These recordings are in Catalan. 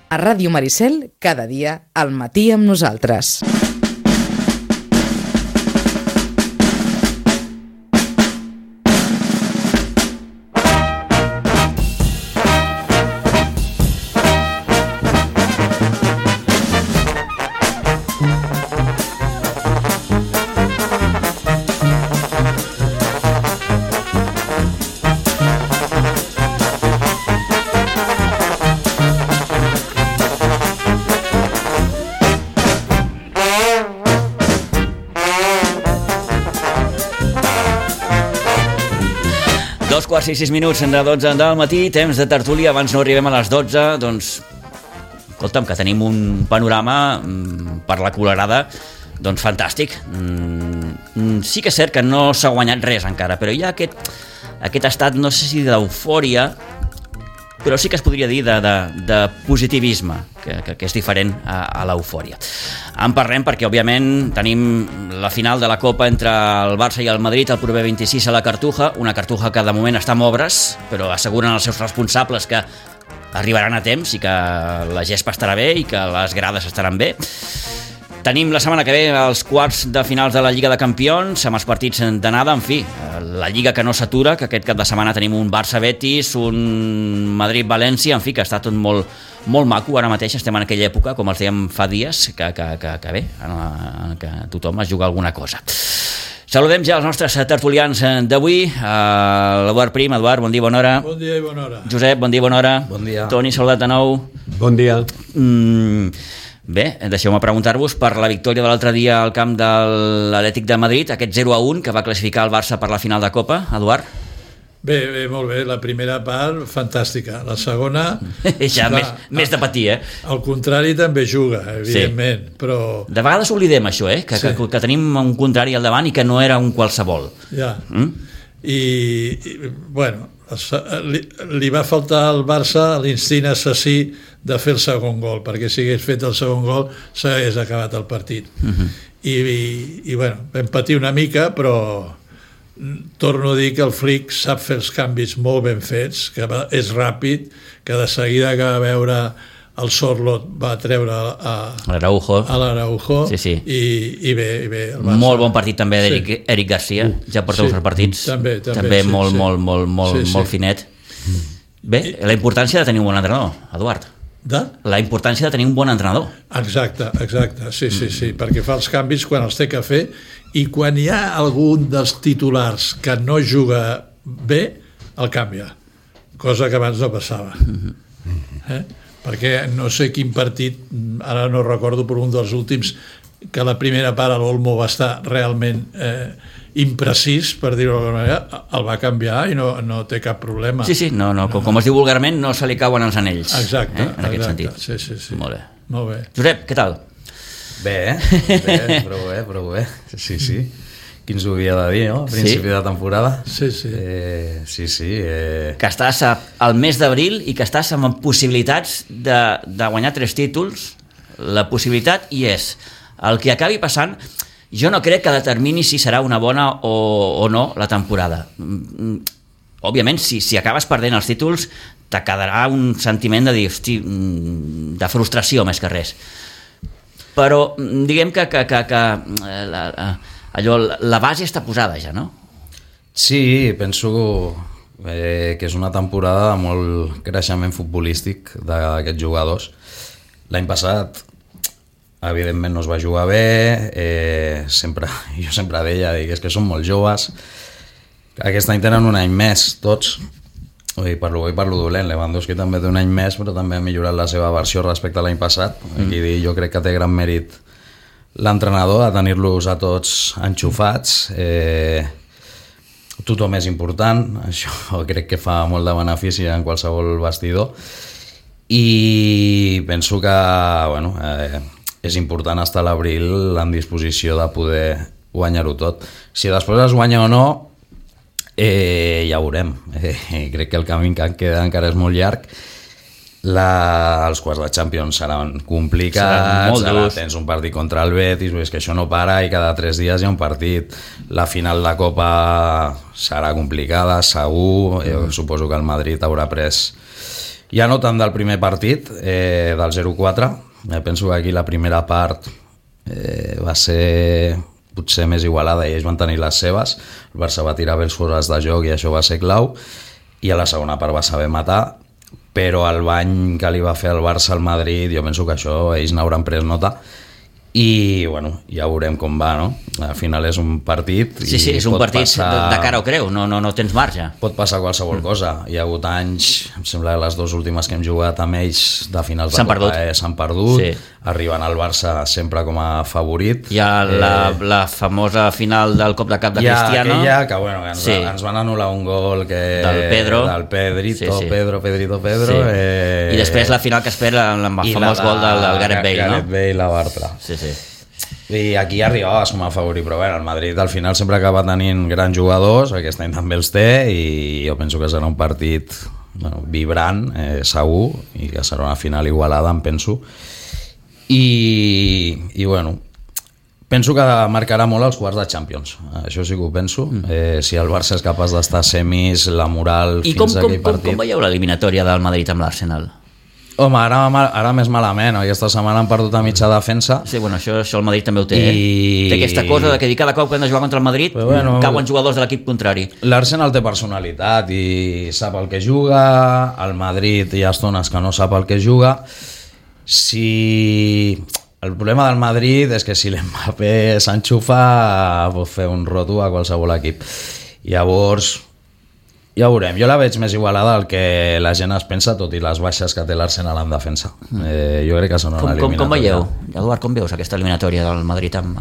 A Ràdio Maricel, cada dia, al matí amb nosaltres. Quarts i 6 minuts de 12 del matí, temps de tertúlia. Abans no arribem a les 12, doncs escolta'm, que tenim un panorama per la Colerada doncs fantàstic. Sí que és cert que no s'ha guanyat res encara, però hi ha aquest estat, no sé si d'eufòria, però sí que es podria dir de positivisme, que és diferent a l'eufòria. En parlem perquè, òbviament, tenim la final de la Copa entre el Barça i el Madrid el proper 26 a la Cartuja, una Cartuja que de moment està en obres, però asseguren els seus responsables que arribaran a temps i que la gespa estarà bé i que les grades estaran bé. Tenim la setmana que ve els quarts de finals de la Lliga de Campions, amb els partits d'anada, en fi, la Lliga que no s'atura, que aquest cap de setmana tenim un Barça-Betis, un Madrid-València, en fi, que està tot molt maco. Ara mateix estem en aquella època, com els dèiem fa dies, que bé, que tothom es juga alguna cosa. Saludem ja els nostres tertulians d'avui. L'Eduard Prim. Eduard, bon dia, bona hora. Bon dia i bona hora. Josep, bon dia, bona hora. Bon dia. Toni, saludat de nou. Bon dia. Bé, deixeu-me preguntar-vos per la victòria de l'altre dia al camp de l'Atlètic de Madrid, aquest 0-1 que va classificar el Barça per la final de Copa. Eduard? Bé, molt bé. La primera part, fantàstica. La segona... ja, més de patir, Al contrari també juga, evidentment, sí. Però... De vegades oblidem això, que tenim un contrari al davant i que no era un qualsevol. Ja. I bueno, li va faltar al Barça l'instint assassí de fer el segon gol, perquè si hagués fet el segon gol s'hagués acabat el partit. I bueno, vam patir una mica, però torno a dir que el Flick sap fer els canvis molt ben fets, que és ràpid, que de seguida que va veure el Sorlot va treure a l'Araujo, sí. I bé el Barça. Molt bon partit també d'Eric Garcia, ja porta uns partits també molt finet. Bé, la importància de tenir un bon entrenador, Eduard. La importància de tenir un bon entrenador. Exacte, sí, perquè fa els canvis quan els té que fer, i quan hi ha algun dels titulars que no juga bé, el canvia, cosa que abans no passava. Perquè no sé quin partit, ara no recordo, però un dels últims, que la primera part l'Olmo va estar realment imprecís, per dir-ho d'alguna manera, el va canviar i no té cap problema. Sí, com es diu vulgarment, no se li cauen els anells. Exacte, en aquest sentit. Sí. Molt bé. Josep, què tal? Bé, prou bé. Sí. Qui ens ho havia de dir, no? A principi de temporada. Sí. Que estàs al mes d'abril i que estàs amb possibilitats de guanyar 3 títols. La possibilitat hi és. El que acabi passant, jo no crec que determini si serà una bona o no la temporada. Òbviament, si acabes perdent els títols, te quedarà un sentiment de dir, hosti, de frustració més que res. Però diguem que la base està posada ja, no? Sí, penso que és una temporada de molt creixement futbolístic d'aquests jugadors. L'any passat evidentment no es va jugar bé, jo sempre deia que són molt joves. Aquest any tenen un any més tots, per lo bo i per lo dolent. Lewandowski també té un any més, però també ha millorat la seva versió respecte a l'any passat. Aquí jo crec que té gran mèrit l'entrenador a tenir-los a tots enxufats. Tothom és important, això crec que fa molt de benefici en qualsevol vestidor, i penso que és important estar a l'abril en disposició de poder guanyar-ho tot. Si després es guanya o no, ja ho veurem. Crec que el camí que queda encara és molt llarg. Els quarts de Champions seran complicats, tens un partit contra el Betis, és que això no para i cada 3 dies hi ha un partit. La final de Copa serà complicada, segur. Jo suposo que el Madrid haurà pres Ja no tant del primer partit, del 0-4. Penso que aquí la primera part va ser potser més igualada i ells van tenir les seves. El Barça va tirar bé els fores de joc i això va ser clau, i a la segona part va saber matar, però el bany que li va fer el Barça al Madrid, jo penso que això ells n'hauran pres nota, i bueno, ja veurem com va, no? Al final és un partit sí, és un partit passar... de cara o creu, no tens marge. Pot passar qualsevol cosa. Hi ha hagut anys, em sembla que les dues últimes que hem jugat amb ells de finals de Copa s'han perdut, sí. Arriben al Barça sempre com a favorit. Hi ha la famosa final del cop de cap de Cristiano. Que bueno, ens van anul·lar un gol del Pedrito, sí. Pedro. Sí. I després la final que espera amb el famós gol del Gareth Bale, no? Gareth Bale, la Bartra. Sí. I aquí arribava com a favorit, però bueno, el Madrid al final sempre acaba tenint grans jugadors, aquest any també els té, i jo penso que serà un partit vibrant, segur, i que serà una final igualada, em penso, i bueno, penso que marcarà molt els quarts de Champions, això sí que ho penso. Si el Barça és capaç d'estar a semis, la moral fins a aquell partit. I com veieu l'eliminatòria del Madrid amb l'Arsenal? Home, ara més malament, aquesta setmana han perdut a mitja defensa. Sí, bueno, això el Madrid també ho té, Té aquesta cosa de que cada cop que han de jugar contra el Madrid cauen jugadors de l'equip contrari. L'Arsenal té personalitat i sap el que juga, el Madrid hi ha estones que no sap el que juga. El problema del Madrid és que si l'Mbappé s'enxufa pot fer un roto a qualsevol equip. Llavors ja ho veurem, jo la veig més igualada del que la gent es pensa, tot i les baixes que té l'Arsenal en defensa. Jo crec que són una eliminatòria. Com veieu, Eduard, com veus aquesta eliminatòria del Madrid amb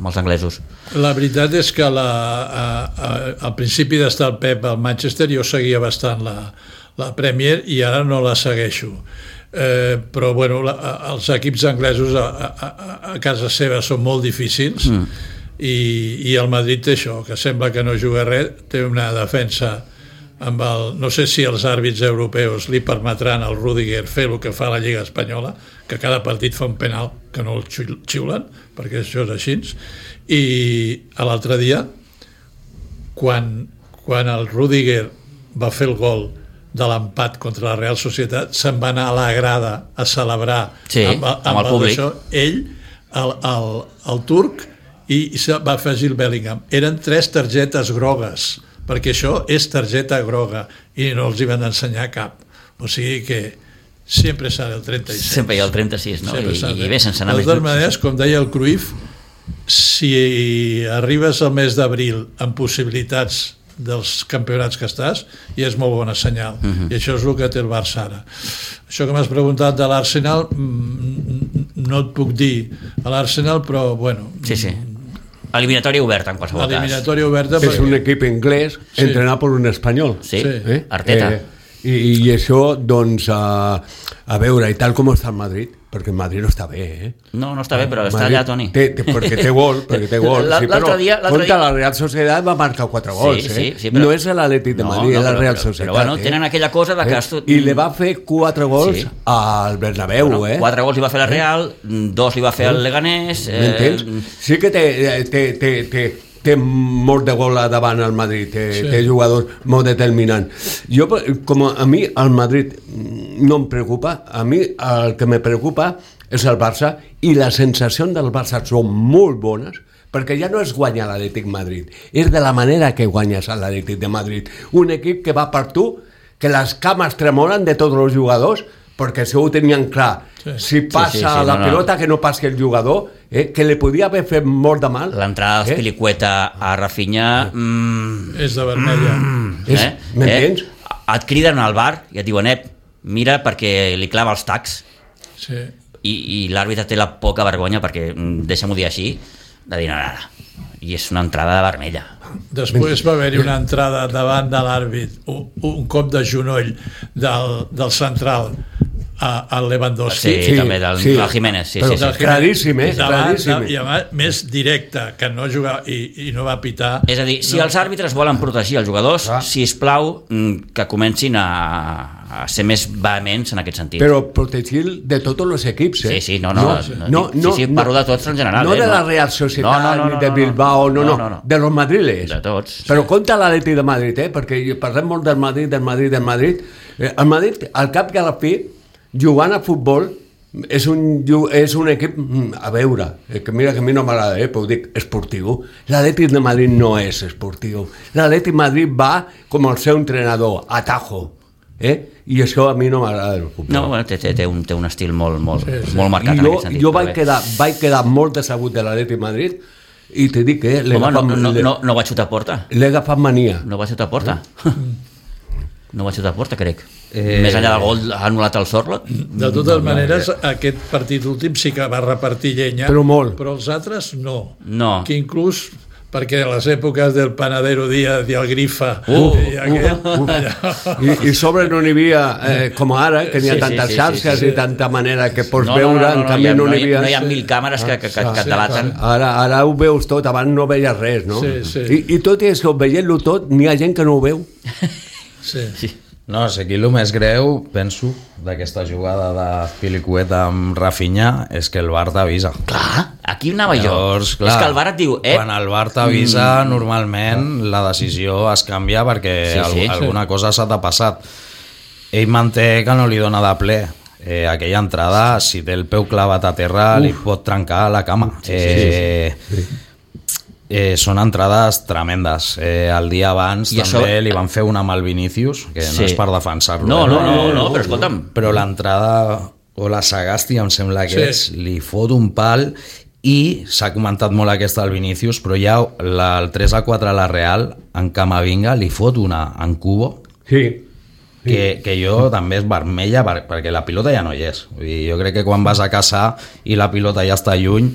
els anglesos? La veritat és que al principi d'estar el Pep al Manchester jo seguia bastant la Premier i ara no la segueixo. Però bueno, els equips anglesos a casa seva són molt difícils i el Madrid té això, que sembla que no juga res, té una defensa amb no sé si els àrbits europeus li permetran al Rüdiger fer el que fa la Lliga Espanyola, que cada partit fa un penal que no el xiulen, perquè això és així. I l'altre dia, quan el Rüdiger va fer el gol de l'empat contra la Real Societat, se'n va anar a la grada a celebrar amb el públic. Ell, el turc, i va afegir el Bellingham. Eren 3 targetes grogues, perquè això és targeta groga i no els hi van ensenyar cap. O sigui que sempre serà el 36. Sempre hi ha el 36, no? I bé, sense anar més. De totes maneres, com deia el Cruyff, si arribes al mes d'abril amb possibilitats dels campionats que estàs, i és molt bona senyal. I això és el que té el Barça ara. Això que m'has preguntat de l'Arsenal, no et puc dir a l'Arsenal, però bueno... Sí. Eliminatòria oberta, en qualsevol cas. Eliminatòria oberta. És un equip anglès entrenat per un espanyol. Sí, Arteta. I això, doncs, a veure, i tal com està el Madrid, perquè el Madrid no està bé, No està bé, però està allà, Toni. Perquè té gol, L'altre dia... Contra la Real Societat va marcar 4 gols, Sí, però... No és l'Atlètic de Madrid, és la Real Societat. Però bueno, tenen aquella cosa de que... I li va fer 4 gols al Bernabéu, 4 gols li va fer la Real, 2 li va fer el Leganés... M'entens? Sí que té molt de gol davant al Madrid, té jugadors molt determinants. Jo, com a mi, el Madrid no em preocupa, a mi el que me preocupa és el Barça, i les sensacions del Barça són molt bones, perquè ja no és guanyar l'Atlètic Madrid, és de la manera que guanyes l'Atlètic de Madrid. Un equip que va per tu, que les cames tremolen de tots els jugadors, perquè això ho tenien clar. Si passa la pilota, que no passi el jugador, que li podia haver fet molt de mal. L'entrada d'Azpilicueta a Rafinha... És de vermella. M'entens? Et criden al bar i et diuen, mira, perquè li clava els tacs. Sí. I l'àrbitre té la poca vergonya, perquè, deixa'm-ho dir així, de dir, no. I és una entrada de vermella. Després va haver-hi una entrada davant de l'àrbit, un cop de genoll del central al Lewandowski. Sí, també del Jiménez. Sí, però sí. claríssim, Davant, i a més directe, que no jugava i no va pitar. És a dir, si els àrbitres volen protegir els jugadors, sisplau, que comencin a ser més vehements en aquest sentit. Però protegir de tots els equips, Sí, sí, parlo de tots en general. No de la Real Societat, ni de Bilbao, no, de los madriles. De tots. Però compta l'Atleti de Madrid, perquè parlem molt del Madrid. El Madrid, al cap i a la fi, jugant a futbol, és un equip, a veure, que mira que a mi no m'agrada, però ho dic, esportiu. L'Atleti de Madrid no és esportiu. L'Atleti de Madrid va com el seu entrenador, a tajo. I això a mi no m'agrada el futbol. No, bueno, té un estil molt marcat en aquest sentit. Jo vaig quedar molt decebut de l'Atleti de Madrid i te dic que no va xutar a porta. L'he agafat mania. No va xutar a porta. No va xutar a porta, crec. Més enllà del gol ha anul·lat el Sorlot. De totes maneres, aquest partit últim sí que va repartir llenya, però molt. Però els altres no. Que inclús perquè a les èpoques del Panadero Díaz i el Grifa i sobre no n'hi havia com ara, que n'hi ha tantes xarxes i tanta manera que pots veure, en canvi no n'hi havia... No hi ha 1000 càmeres que et delaten. Ara ho veus tot, abans no veies res, no? I tot i això, veient-lo tot, n'hi ha gent que no ho veu. Sí. No, sé, aquí el més greu, penso, d'aquesta jugada de Pilicueta amb Rafinha és que el VAR t'avisa. Clar, aquí anava jo. Llavors, clar, és que el VAR et diu... Quan el VAR t'avisa, normalment la decisió es canvia perquè alguna cosa s'ha passat. Ell manté que no li dona de ple. Aquella entrada, si té el peu clavat a terra, li pot trencar la cama. Són entrades tremendes. El dia abans també li van fer una amb el Vinícius, que no és per defensar-lo. No, però escolta'm. Però l'entrada, o la Sagasti, em sembla que li fot un pal, i s'ha comentat molt aquesta del Vinícius, però ja el 3-4 a la Real, en Camavinga, li fot una en Cubo, que jo també és vermella, perquè la pilota ja no hi és. Jo crec que quan vas a caçar i la pilota ja està lluny,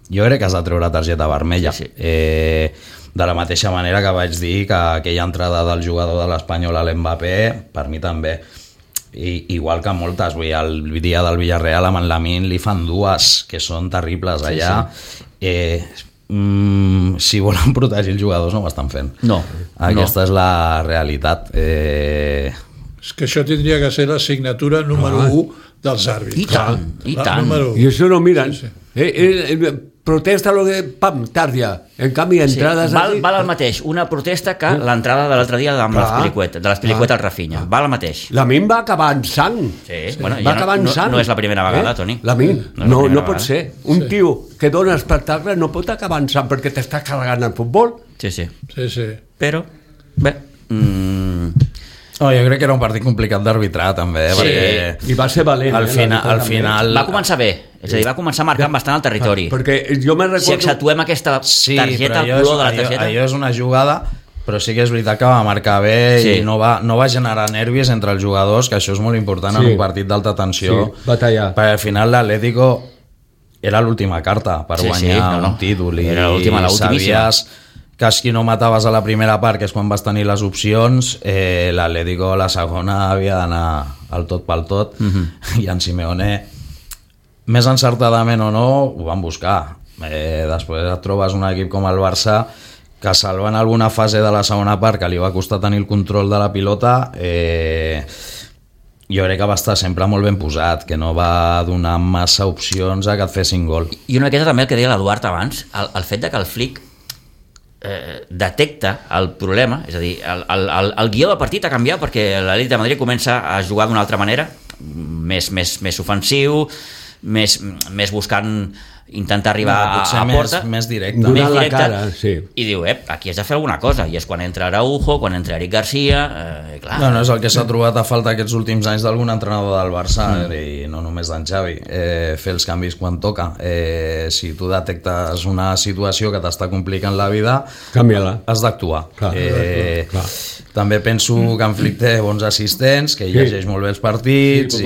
jo crec que has de treure targeta vermella. De la mateixa manera que vaig dir que aquella entrada del jugador de l'Espanyol a l'Mbappé, per mi també. Igual que moltes, el dia del Villarreal amb en Lamine li fan dues que són terribles allà. Si volen protegir els jugadors no ho estan fent. Aquesta és la realitat. És que això tindria que ser la signatura número 1 dels àrbitres. I tant. I això no miren. Protesta lo que tardia. En canvi, entrades... Val el mateix una protesta que l'entrada de l'altre dia de les Pilicuetes al Rafinha. Val el mateix. Lamine va acabar en sang. Va acabar en sang. No és la primera vegada, Toni. Lamine, no pot ser. Un tio que dona espectacle no pot acabar en sang perquè t'està carregant el futbol. Sí. Però, bé... Jo crec que era un partit complicat d'arbitrar també, perquè i va ser valent. Al final va començar bé, és a dir, va començar marcant bastant el territori. Perquè jo me'n recordo... Si accentuem aquesta targeta al color de la targeta... Allò és una jugada, però sí que és veritat que va marcar bé i no va generar nervis entre els jugadors, que això és molt important en un partit d'alta tensió. Batallar. Perquè al final l'Atlético era l'última carta per guanyar un títol i sabies que si no mataves a la primera part, que és quan vas tenir les opcions, l'Atlético a la segona havia d'anar al tot pel tot, i en Simeone, més encertadament o no, ho van buscar. Després et trobes un equip com el Barça que salva en alguna fase de la segona part que li va costar tenir el control de la pilota, jo crec que va estar sempre molt ben posat, que no va donar massa opcions a que et fessin gol. I una miqueta també el que deia l'Eduard abans, el fet de que el Flick detecta el problema, és a dir, el guió del partit ha canviat perquè l'Atlètic de Madrid comença a jugar d'una altra manera, més ofensiu, més buscant intentar arribar a porta, més directe, donant la cara, i diu, aquí has de fer alguna cosa, i és quan entra Araujo, quan entra Eric Garcia, clar. No, és el que s'ha trobat a falta aquests últims anys d'algun entrenador del Barça, i no només d'en Xavi, fer els canvis quan toca. Si tu detectes una situació que t'està complicant la vida, canvia-la, has d'actuar. També penso que en Flick té bons assistents, que llegeix molt bé els partits,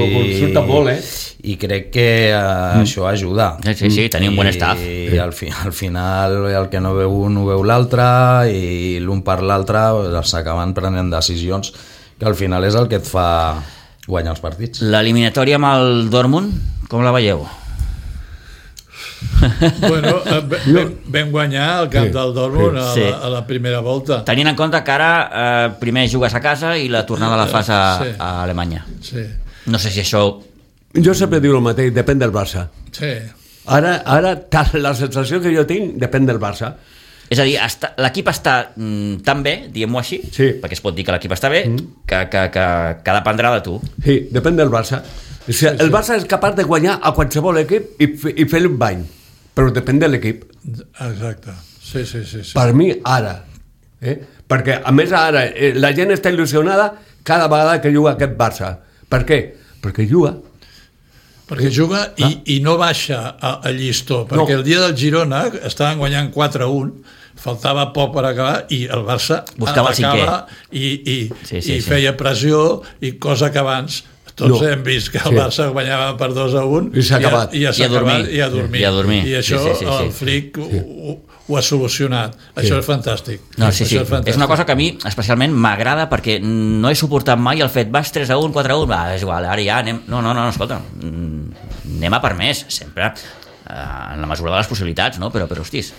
i crec que això ajuda. Sí, tenir un bon staff. I al final el que no veu un ho veu l'altre, i l'un per l'altre s'acaben prenent decisions que al final és el que et fa guanyar els partits. L'eliminatòria amb el Dortmund, com la veieu? Bueno, vam guanyar el camp del Dortmund a la primera volta. Tenint en compte que ara primer jugues a casa i la tornada la fas a Alemanya. Sí. No sé si això... Jo sempre dic el mateix, depèn del Barça. Sí. Ara la sensació que jo tinc depèn del Barça. És a dir, l'equip està tan bé, diguem-ho així, perquè es pot dir que l'equip està bé, que dependrà de tu. Sí, depèn del Barça. O sigui, el Barça és capaç de guanyar a qualsevol equip i fer-li un bany, però depèn de l'equip. Exacte. Sí. Per mi, ara. Perquè, a més, ara la gent està il·lusionada cada vegada que juga aquest Barça. Per què? Perquè juga. Perquè juga i no baixa a llistó, perquè el dia del Girona estaven guanyant 4-1, faltava poc per acabar i el Barça buscava el cinquè i feia pressió, i cosa que abans tots hem vist que el Barça guanyava per 2-1 i s'ha acabat i a dormir. I això el Flick ho ha solucionat. Això és fantàstic. És una cosa que a mi especialment m'agrada, perquè no he suportat mai el fet vas 3-1, 4-1, és igual, ara ja anem... No, escolta, anem a per més, sempre en la mesura de les possibilitats, no? Però hostis,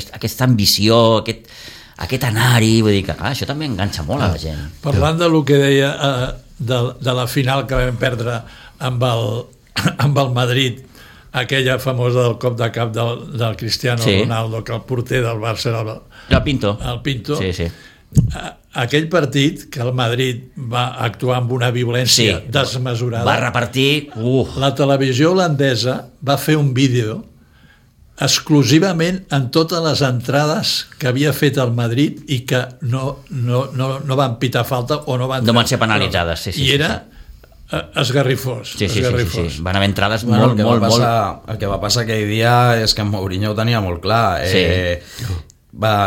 aquesta ambició, aquest anar-hi, vull dir que això també enganxa molt a la gent. Parlant del que deia de la final que vam perdre amb el Madrid, aquella famosa del cop de cap del Cristiano Ronaldo, que el porter del Barça era el Pinto. Sí. Aquell partit que el Madrid va actuar amb una violència desmesurada, va repartir... La televisió holandesa va fer un vídeo exclusivament en totes les entrades que havia fet el Madrid i que no van pitar falta o no van ser penalitzades. I era esgarrifós. Sí. Van haver entrades molt... El que va passar aquell dia és que en Mourinho ho tenia molt clar.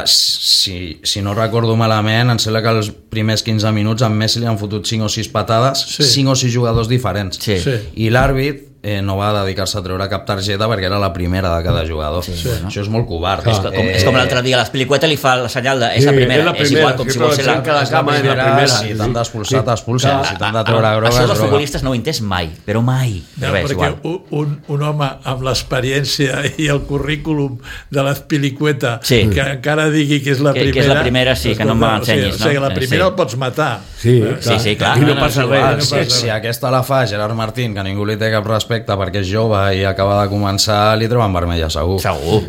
Si no recordo malament, em sembla que els primers 15 minuts en Messi li han fotut 5 o 6 patades, 5 o 6 jugadors diferents. I l'àrbit no va dedicar-se a treure cap targeta perquè era la primera de cada jugador. Això és molt covard. És com l'altre dia, l'Espilicueta li fa la senyal de és la primera, és igual, com si vol ser la primera. Si t'han d'expulsar, t'expulsen. Si t'han de treure groga, això dels futbolistes no ho he entès mai, però mai. Perquè un home amb l'experiència i el currículum de l'Espilicueta que encara digui que és la primera... Que és la primera, sí, que no m'ensenyis. O sigui, la primera el pots matar. Sí, clar. I no passa res. Si aquesta la fa Gerard Martín, que ningú li té cap respecte perquè és jove i acaba de començar, li treuen vermella segur.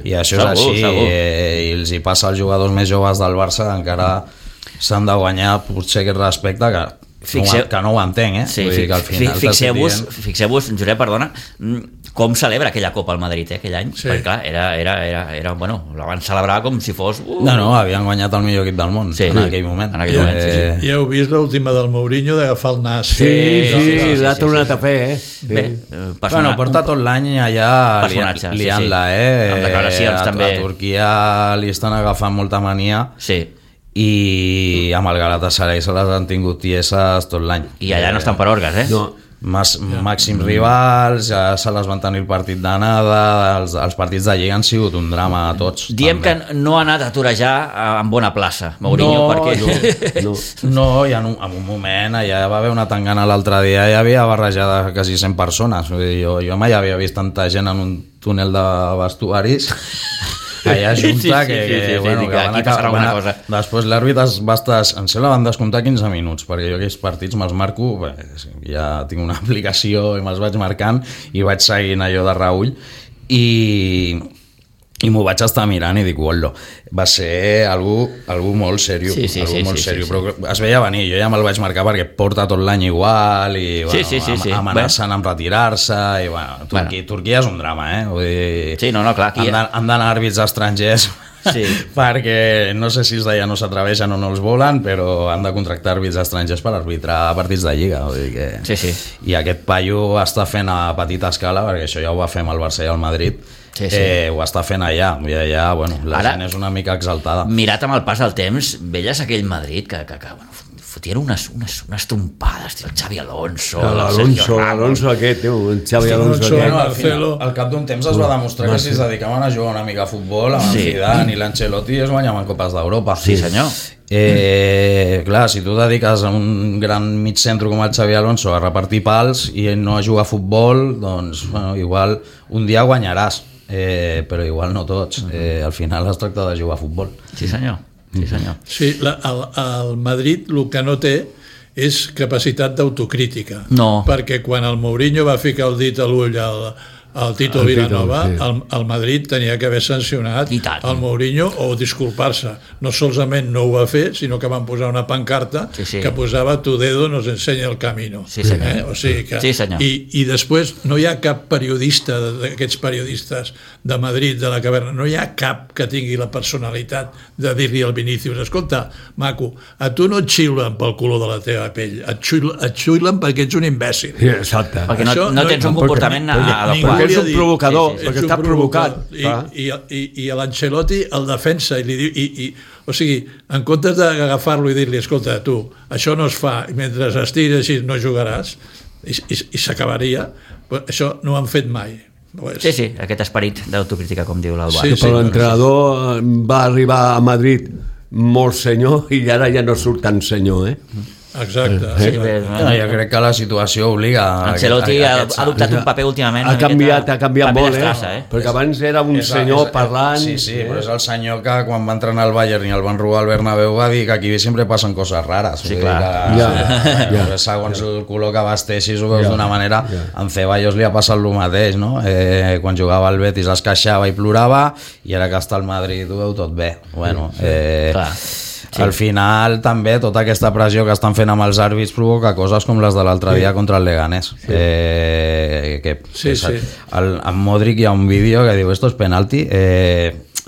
I això és així, i els hi passa als jugadors més joves del Barça, encara s'han de guanyar potser aquest respecte que no ho entenc, Fixeu-vos, Josep, perdona, com celebra aquella Copa al Madrid aquell any, perquè clar, era bueno, la van celebrar com si fos no, havien guanyat el millor equip del món en aquell moment. I heu vist l'última del Mourinho d'agafar el nas. Sí, l'ha tornat a fer, Bueno, porta tot l'any allà liant-la, amb declaracions també. A Turquia li estan agafant molta mania i amb el Galatasaray se les han tingut tieses tot l'any. I allà no estan per orgues, No. Màxims rivals, ja se les van tenir el partit d'anada, els partits de Lliga han sigut un drama a tots. Diem també. Que no ha anat a torejar en bona plaça, Mourinho, perquè... No, i en un moment allà va haver una tangana l'altre dia, hi havia barrejada quasi 100 persones. Jo mai havia vist tanta gent en un túnel de vestuaris allà junta que van acabar. Després l'àrbit va estar, em sembla, van descomptar 15 minuts, perquè jo aquells partits me'ls marco, ja tinc una aplicació i me'ls vaig marcant i vaig seguint allò de reull i m'ho vaig estar mirant i dic, uolo, va ser algú molt seriós, però es veia venir, jo ja me'l vaig marcar perquè porta tot l'any igual i amenacen amb retirar-se i Turquia és un drama, vull dir, clar, han d'anar àrbits estrangers perquè no sé si els d'allà no s'atreveixen o no els volen, però han de contractar àrbits estrangers per arbitrar partits de Lliga, vull dir que... I aquest paio està fent a petita escala, perquè això ja ho va fer amb el Barça i el Madrid, ho està fent allà, i allà la gent és una mica exaltada. Mirat amb el pas del temps, veies aquell Madrid que fotien unes trompades, tio, el Xavi Alonso, L'Alonso aquest, el Xavi Alonso Alonso, aquest. Marcelo. Al cap d'un temps es va demostrar que si es dedicaven a jugar una mica a futbol, amb el Zidane i l'Ancelotti es guanyaven copes d'Europa. Sí, senyor. Clar, si tu dediques a un gran mig centre com el Xavi Alonso a repartir pals i no a jugar a futbol, doncs bueno, igual un dia guanyaràs, però igual no tots. Al final es tracta de jugar a futbol. Sí, senyor. Sí, senyor. Sí, el Madrid el que no té és capacitat d'autocrítica. No. Perquè quan el Mourinho va ficar el dit a l'ull al Tito Vilanova, el Madrid tenia que haver sancionat el Mourinho o disculpar-se. No solament no ho va fer, sinó que van posar una pancarta que posava "Tu dedo nos enseña el camino". Sí, senyor. O sigui que, sí, senyor. I després no hi ha cap periodista d'aquests periodistes de Madrid, de la caverna, no hi ha cap que tingui la personalitat de dir-li al Vinícius: escolta, maco, a tu no et xiulen pel color de la teva pell, et xiulen perquè ets un imbècil. Sí, exacte. Perquè no tens un comportament adequat. Perquè és un provocador, perquè està provocat. I a l'Ancelotti el defensa i li diu... O sigui, en comptes d'agafar-lo i dir-li: escolta, tu, això no es fa, i mentre estiguis així no jugaràs, i s'acabaria, això no ho han fet mai. Sí, aquest esperit d'autocrítica, com diu l'Albà. Però l'entrenador va arribar a Madrid molt senyor i ara ja no surt tan senyor, Exacte. Jo crec que la situació obliga... Ancelotti ha adoptat un paper últimament... Ha canviat molt, perquè abans era un senyor parlant... Sí, però és el senyor que quan va entrenar al Bayern i el van robar al Bernabéu va dir que aquí sempre passen coses rares. Sí, clar. Segons el color que vesteixis ho veus d'una manera. En Ceballos li ha passat el mateix, no? Quan jugava al Betis es queixava i plorava, i ara que està al Madrid ho veu tot bé. Bueno, clar. Sí. Al final també tota aquesta pressió que estan fent amb els àrbits provoca coses com les de l'altre dia contra el Leganés. Amb Modric hi ha un vídeo que diu: esto es penalti,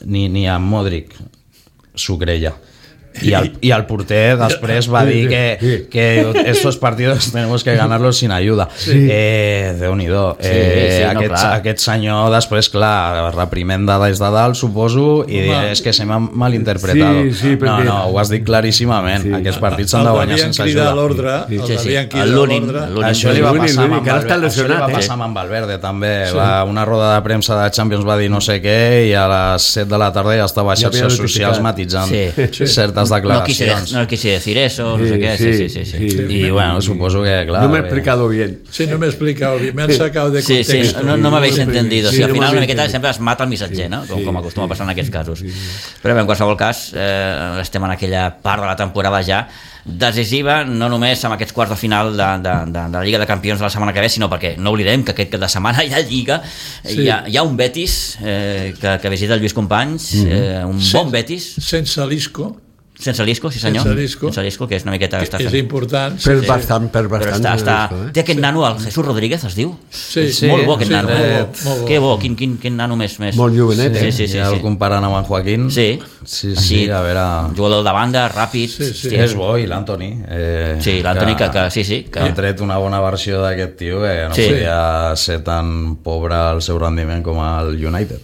ni a Modric s'ho creia. Y al porter després va dir que estos partidos tenemos que ganarlos sin ayuda. Déu-n'hi-do. Aquest senyor després, clar, reprimenda des de dalt, suposo, i és que se m'ha malinterpretat. No, ho has dit claríssimament. Aquests partits s'han de guanyar sense ajuda. Això li va passar amb Valverde també. Una roda de premsa de Champions va dir no sé què i a les 7 de la tarda ja estava a xarxes socials matitzant certes declaracions. No quise decir eso, no sé qué. Sí. Y bueno, supongo que, claro. No me he explicado bien. Sí, no me he explicado bien. Me han sacado de contexto. Sí, no m'habéis entendido. Al final una miqueta sempre es mata el missatger, no? Com acostuma a passar en aquests casos. Però bé, en qualsevol cas, estem en aquella part de la temporada ja decisiva, no només amb aquests quarts de final de la Lliga de Campions de la setmana que ve, sinó perquè no oblidem que aquest cap de setmana hi ha Lliga, hi ha un Betis que visita el Lluís Companys, un bon Betis sense l'Isco. Sense l'Isco, sí senyor. Sense l'Isco, que és una miqueta... És important. Per bastant. Té aquest nano, el Jesús Rodríguez, es diu? Sí. Molt bo aquest nano. Que bo, quin nano més. Molt jovenet, Sí. Ja el comparant amb en Joaquín. Sí, a veure... Jugador de banda, ràpid... És bo, i l'Antoni. Sí, l'Antoni que han tret una bona versió d'aquest tio que no podia ser tan pobre el seu rendiment com el United.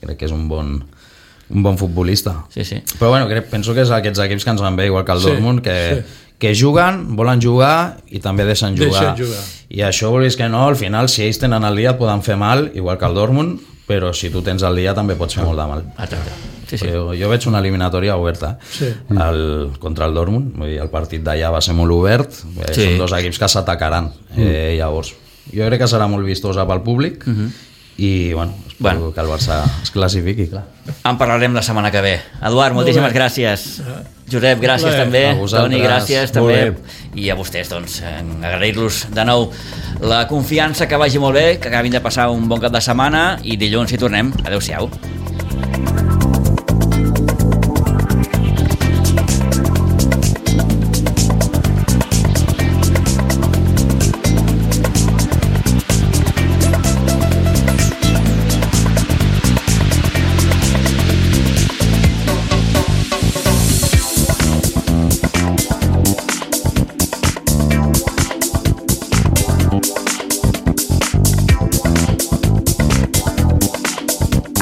Crec que és un bon futbolista. Sí. Però bueno, penso que és aquests equips que ens van bé, igual que el Dortmund, que juguen, volen jugar i també deixen jugar. I això volis que no, al final, si ells tenen el dia et poden fer mal, igual que el Dortmund, però si tu tens el dia també pots fer molt de mal. Jo veig una eliminatòria oberta contra el Dortmund, vull dir, el partit d'allà va ser molt obert, són dos equips que s'atacaran. Llavors, jo crec que serà molt vistosa pel públic, i espero que el Barça es classifiqui, clar. En parlarem la setmana que ve. Eduard, moltíssimes gràcies. Josep, gràcies també. Toni, gràcies també. I a vostès, doncs, agrair-los de nou la confiança, que vagi molt bé, que acabin de passar un bon cap de setmana i dilluns hi tornem. Adéu-siau.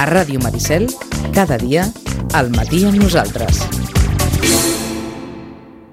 A Ràdio Maricel, cada dia, al matí amb nosaltres.